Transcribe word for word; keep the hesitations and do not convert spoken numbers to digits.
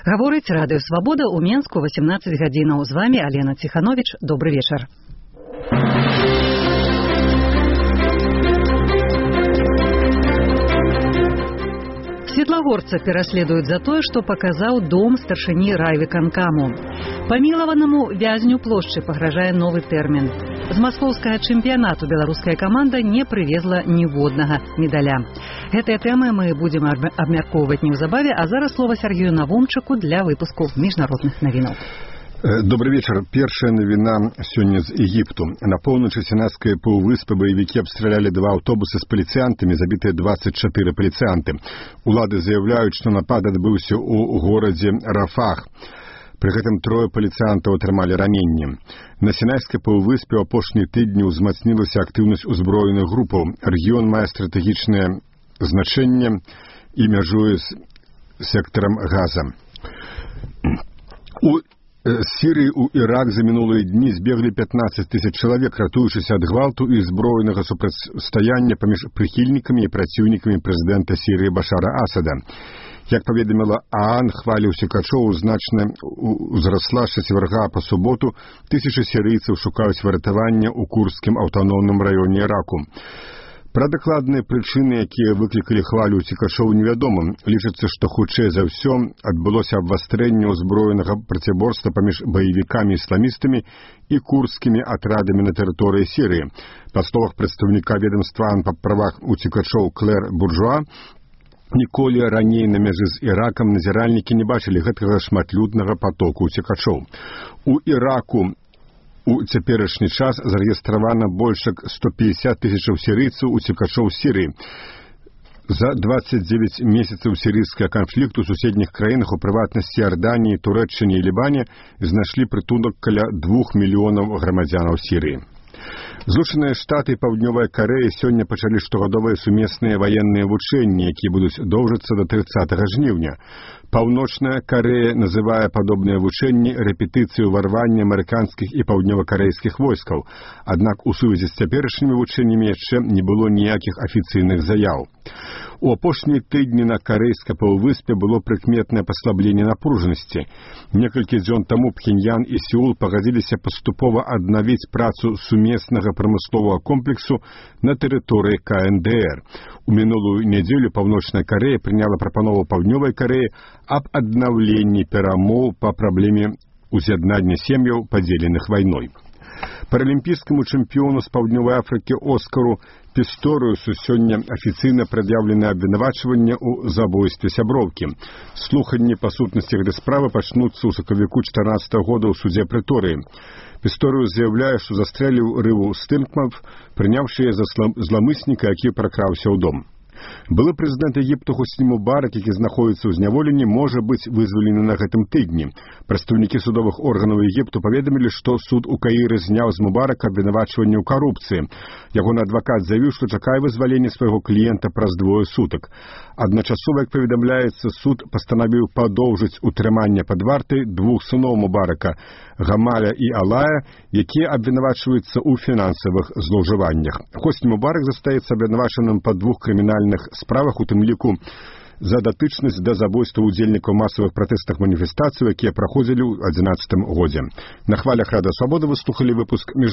Гаворыць радыё «Свабода» ў Менску восемнадцать гадзінаў. З вами Алена Тиханович. Добрый вечер. Светлагорца пераследуюць за тое, што паказаў дом старшыні райвыканкаму. Памілаванаму вязню плошчы пагражае новы тэрмін. З маскоўскага чэмпіянату беларуская каманда не прывезла ніводнага медаля. Гэтыя тэмы мы будзем абмяркоўваць неўзабаве, а зараз слова Сергею Навумчыку для выпуску міжнародных навінаў. Добрый вечер. Першая навіна сёння з Егіпту. На поўначы Сінайскай паўвыспы баевікі абстралялі два аўтобусы з паліцыянтамі, забітыя двадцать четыре паліцыянты. Улады заяўляюць, што напад адбыўся ў горадзе Рафах. Пры гэтым трое паліцыянтаў атрымалі раненні. На Сінайскай паўвыспе ў апошнія тыдні ўзмацнілася актыўнасць узброеных групаў. Рэгіён мае стратэгічнае значэнне і мяжуе з сектарам Газа. У З Сірыі ў Ірак за мінулыя дні збеглі пятнаццаць тысяч чалавек, ратуючыся ад гвалту і зброенага супрацьстаяння паміж прыхільнікамі і праціўнікамі прэзідэнта Сірыі Башара Асада. Як паведаміла ААН, хваля ўцекачоў значна ўзрасла з чацвярга па суботу. Тысячы сірыйцаў шукаюць выратавання ў курдскім аўтаномным раёне Іраку. Пра дакладныя прычыны, якія выклікалі хвалю ўцекачоў, невядома. Лічыцца, што хутчэй за ўсё адбылося абвастрэнне ўзброенага проціборства паміж баевікамі-ісламістамі і курдскімі атрадамі на тэрыторыі Сірыі. Па словах прадстаўніка ведамства па правах уцекачоў Клэр Буржуа, ніколі раней на мяжы з Іракам назіральнікі не бачылі гэтага шматлюднага патоку уцекачоў. У Іраку у цяперашні час зарэгістравана больш як сто пятьдесят тысячаў сірыйцаў уцекачоў з Сірыі. За двадцать девять месяцаў сірыйскага канфлікту ў суседніх краінах, у прыватнасці Іорданіі, Турэччыне і Лібане, знайшлі прытулак каля двух мільёнаў грамадзянаў Сірыі. Злучаныя Штаты і Паўднёвая Карэя сёння пачалі штогадовыя сумесныя ваенныя вучэнні, якія будуць доўжыцца да трыццатага жніўня. Паўночная Карэя называе падобныя вучэнні рэпетыцыю ўварвання амерыканскіх і паўднёвакарэйскіх войскаў. Аднак у сувязі з цяперашнімі вучэннямі яшчэ не было ніякіх афіцыйных заяў. У апошнія тыдні на карэйскай паўвыспе было прыкметнае паслабленне напружанасці. Некалькі дзён таму Пхеньян і Сеул пагадзіліся паступова аднавіць працу сумеснага прамысловага комплексу на тэрыторыі ка эн дэ эр. У мінулую нядзелю Паўночная Карэя прыняла прапанову Паўднёвай Карэі аб аднаўленні перамоў па праблеме уз'яднання сем'яў, падзеленых вайной. Паралімпійскаму чэмпіёну з Паўднёвай Афрыкі Оскару Пісторыусу сёння афіцыйна прад'яўлены абвінавачванне ў забойстве сяброўкі. Слуханні па сутнасці гэтай справы пачнуцца ў сакавіку чатырнаццатага года ў судзе Прэторыі. Пісторыус заяўляе, што застрэліў Рыву Стынкмав, прыняўшы яе за зламысніка, які пракраўся ў дом. Былы прэзідэнт Егіпту Хосні Мубарак, які знаходзіцца ў зняволенні, можа быць вызвалены на гэтым тыдні. Прадстаўнікі судовых органаў Егіпту паведамілі, што суд у Каіры зняў з Мубарака абвінавачванне ў карупцыі. Ягоны адвакат заявіў, што чакае вызвалення свайго кліента праз двое сутак. Адначасова, як паведамляецца, суд пастанавіў падоўжыць утрыманне пад вартай двух сыноў Мубарака, Гамаля і Алая, якія абвінавачваюцца ў фінансавых злоўжываннях. Хосні Мубарак застаецца абвінавачаным па двух крымінальных справах, у тым ліку за датычнасць да забойства ўдзельнікаў масавых пратэстных маніфестацый, якія праходзілі ў адзінаццатым годзе. На хвалях Радыё Свабода вы слухалі выпуск між